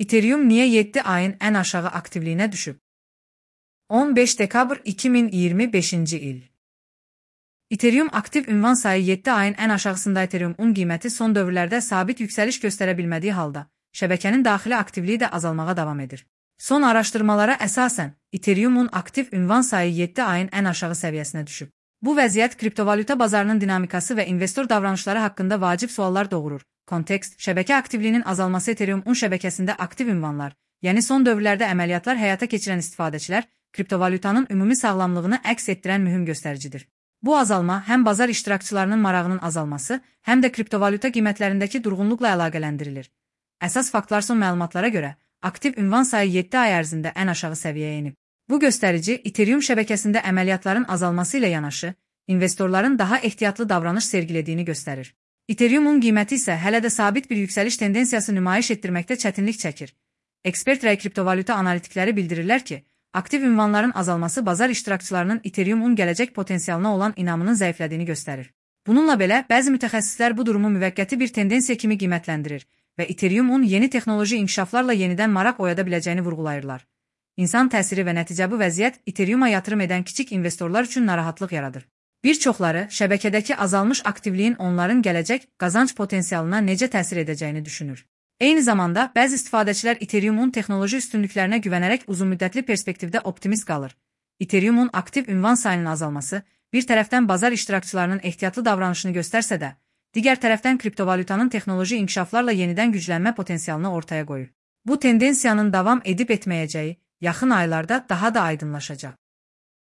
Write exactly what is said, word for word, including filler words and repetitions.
Ethereum niye yeddi ayın en aşağı aktifliğine düşüp? on beş dekabr iki min iyirmi beşinci il. Ethereum aktif ünvan sayı yeddi ayın en aşağısında. Ethereum'un qiyməti son dövrlərdə sabit yükseliş göstərə bilmədiyi halda, şəbəkənin daxili aktivliyi də azalmağa davam edir. Son araşdırmalara əsasən, Ethereum'un aktif ünvan sayı yeddi ayın en aşağı səviyyəsinə düşüb. Bu vəziyyət kriptovalyuta bazarının dinamikası və investor davranışları haqqında vacib suallar doğurur. Kontekst, şəbəkə aktivliyinin azalması. Ethereum'un şəbəkəsində aktiv ünvanlar, yəni son dövrlərdə əməliyyatlar həyata keçirən istifadəçilər, kriptovalyutanın ümumi sağlamlığını əks etdirən mühüm göstəricidir. Bu azalma həm bazar iştirakçılarının marağının azalması, həm də kriptovalyuta qiymətlərindəki durğunluqla əlaqələndirilir. Əsas faktlar son məlumatlara görə, aktiv ünvan sayı yeddi ay ərzində ən aşağı səviyyəyə enib. Bu göstərici, Ethereum şəbəkəsində əməliyyatların azalması ilə yanaşı, investorların daha ehtiyatlı davranış sergilədiyini göstərir. Ethereum'un qiyməti isə hələ də sabit bir yüksəliş tendensiyası nümayiş etdirməkdə çətinlik çəkir. Ekspert rəy kriptovalyuta analitikləri bildirirlər ki, aktiv ünvanların azalması bazar iştirakçılarının Ethereum'un gələcək potensialına olan inamının zəiflədiyini göstərir. Bununla belə, bəzi mütəxəssislər bu durumu müvəqqəti bir tendensiya kimi qiymətləndirir və Ethereum'un yeni texnoloji inkişaflarla yenidən maraq oyada biləcəyini vurğulayırlar. İnsan təsiri və nəticə bu vəziyyət Ethereum'a yatırım edən kiçik investorlar üçün narahatlıq yaradır. Bir çoxları şəbəkədəki azalmış aktivliyin onların gələcək qazanc potensialına necə təsir edəcəyini düşünür. Eyni zamanda, bəzi istifadəçilər Ethereum'un texnoloji üstünlüklərinə güvənərək uzunmüddətli perspektivdə optimist qalır. Ethereum'un aktiv ünvan sayının azalması, bir tərəfdən bazar iştirakçılarının ehtiyatlı davranışını göstərsə də, digər tərəfdən kriptovalyutanın texnoloji inkişaflarla yenidən güclənmə potensialını ortaya qoyur. Bu tendensiyanın davam edib etməyəcəyi yaxın aylarda daha da aydınlaşacaq.